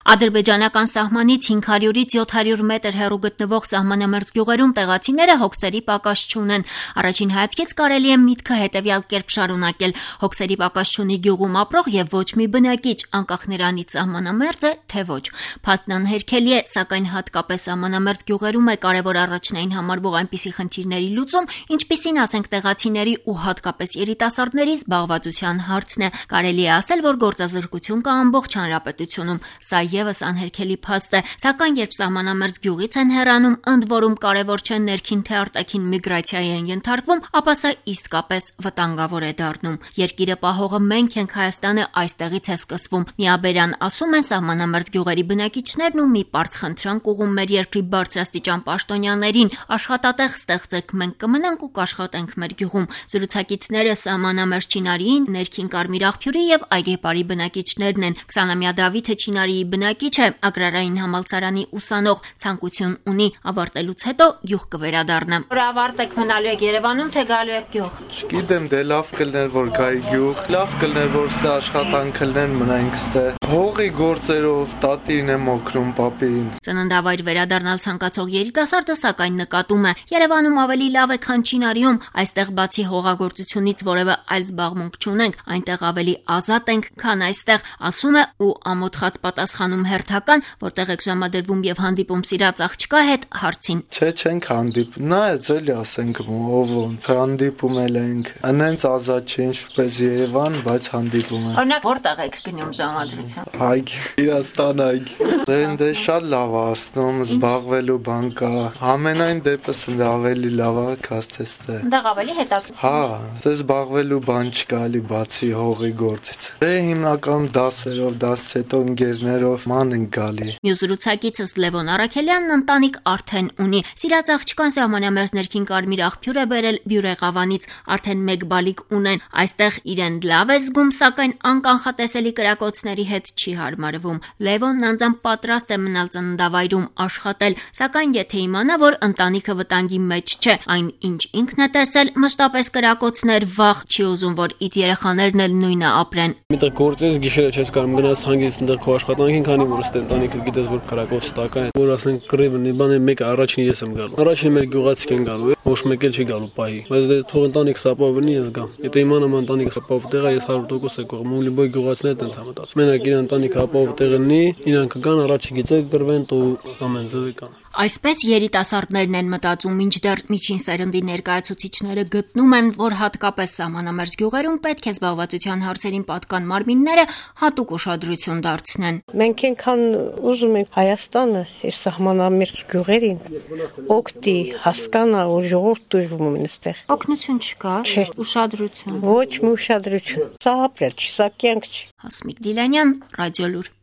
Ադրբեջանական սահմանից 500-ից 700 մետր հեռու գտնվող սահմանամերձ գյուղերում տեղացիները հոգսերի պակաս չունեն։ Առաջին հայացքից կարելի է միտքը հետևյալ կերպ շարունակել. հոգսերի պակաս չունի գյուղում ապրող եւ ոչ մի բնակիչ, անկախ նրանից սահմանամերձ է, թե ոչ։ Փաստն անհերքելի է, սակայն հատկապես սահմանամերձ գյուղերում է կարևոր առաջնային համարվող այնպիսի խնդիրների լուծում, ինչպիսին ասենք տեղացիների ու հատկապես երիտասարդների զբաղվածության հարցն է։ Կարելի է ասել, որ գործազրկություն կա ամբողջ հանրապետությունում։ Սա եւս անհերքելի փաստ է, սակայն երբ սահմանամերձ գյուղից են հեռանում, ընդ որում կարևոր չէ ներքին թե արտաքին միգրացիայի են ենթարկվում, ապա սա իսկապես վտանգավոր է դառնում։ Երկիրը պահողը մենք ենք, Հայաստանը այստեղից է սկսվում։ Միաբերյան ասում են սահմանամերձ գյուղերի բնակիչներն ու մի պարզ խնդրանք ուղում մեր երկրի բարձրաստիճան պաշտոնյաներին. աշխատատեղ ստեղծեք, մենք կմնանք ու կաշխատենք մեր գյուղում։ Զրուցակիցները սահմանամերձ Չինարիին, ներքին Կարմիր աղբյուրի եւ Այգեպարի բնակիչներն են։ 20-ամյա Դավիթը Չինարիի բնակիչ է, Ագրարային համալսարանի ուսանող, ցանկություն ունի ավարտելուց հետո գյուղ կվերադառնա։ Որ ավարտեք մնալու եք Երևանում, թե գալու եք գյուղ։ Չգիտեմ, դե լավ կլներ որ գայի գյուղ, լավ կլներ որ ստե աշխատանք կլներ մնանք ստե։ Հողի գործերով տատին եմ օգնում պապին։ Ծննդավայր վերադառնալ ցանկացող երիտասարդը սակայն նկատում է. Երևանում ավելի լավ է, քան Չինարիում, այստեղ բացի հողագործությունից որևէ այլ զբաղմունք չունենք, այնտեղ ավելի ազատ ենք, քան այստեղ, ասում է ու ամոթխած պատասխանում հերթական, որտեղ եք ժամադրվում եւ հանդիպում սիրած աղջկա հետ, հարցին. Չէ, չենք հանդիպում, նայած էլի ասենք ով ոնց հանդիպում ենք, անենց ազատ չէ ինչպես Երևան, բայց հանդիպում են։ Օրինակ որտեղ եք գնում ժամադրություն։ Այգի, Իրաստան այգի։ Դե շատ լավ է ասնում, զբաղվելու բան կա։ Ամենայն դեպս ավելի լավ է, քան ստե։ Այնտեղ ավելի հետաքրքիր։ Հա, դե զբաղվելու բան չկա, էլի բացի հողի գործից։ Դե հիմնականում դասերով, դասից հետո ընկերներով ման ենք գալի։ Մյուս զրուցակիցս Լևոն Արաքելյանն ընտանիք արդեն ունի։ Սիրած աղջկան սահմանամերձ ներքին Կարմիր աղբյուր է բերել Բյուրեղավանից, արդեն 1 բալիկ ունեն։ Այստեղ իրեն լավ է զգում, սակայն անկանխատեսելի կրակոցների հետ չի հարմարվում։ Լևոնն անձամբ պատրաստ է մնալ ծննդավայրում աշխատել, սակայն եթե իմանա, որ ընտանիքը վտանգի մեջ չէ, այն ինչ ինքն է տեսել, մշտապես կրակոցներ, վախ, չի ուզում, որ իր երեխաներն էլ նույնը ապրեն։ Միտեղ գործես գիշերը չես կարող գնաս հանգիստ այնտեղ քո աշխատանքին, քանի որ ըստ ընտանիքը գիտես որ կրակոց տակա է, որ ասենք կռիվնի բան է, մեկը առաջին ես եմ գալու։ Առաջին մեր գյուղացիք են գալու, ոչ մեկ էլ չի գալու պահի։ Բայց դե թող ընտանիք սապավնի ես գամ։ Եթե իմանամ ընտանիքը սապավ տեղը, ես 100% է կողմ, ու լիբոյ գյուղացիները տենց համտած։ Մենակ իր ընտանիքը ապավ տեղը լինի, իրանք կգան առաջի գիծը գրվեն ու ամեն ձևի կան։ Այսպես երիտասարդներն են մտածում, մինչդեռ միջին սերնդի ներկայացուցիչները գտնում են, որ հատկապես սահմանամերձ գյուղերում պետք է զբաղվածության հարցերին պատկան մարմինները հատուկ ուշադրություն դարձնեն։ Մենք այնքան ուզում ենք Հայաստանը այս սահմանամերձ գյուղերին օգտի հասկանա ու ժողովուրդ դժվում են այստեղ։ Օգնություն չկա, ուշադրություն։ Ոչ մի ուշադրություն։ Սա ապրել չի, սա կյանք չի։ Հասմիկ Դիլանյան, Ռադիոլուր։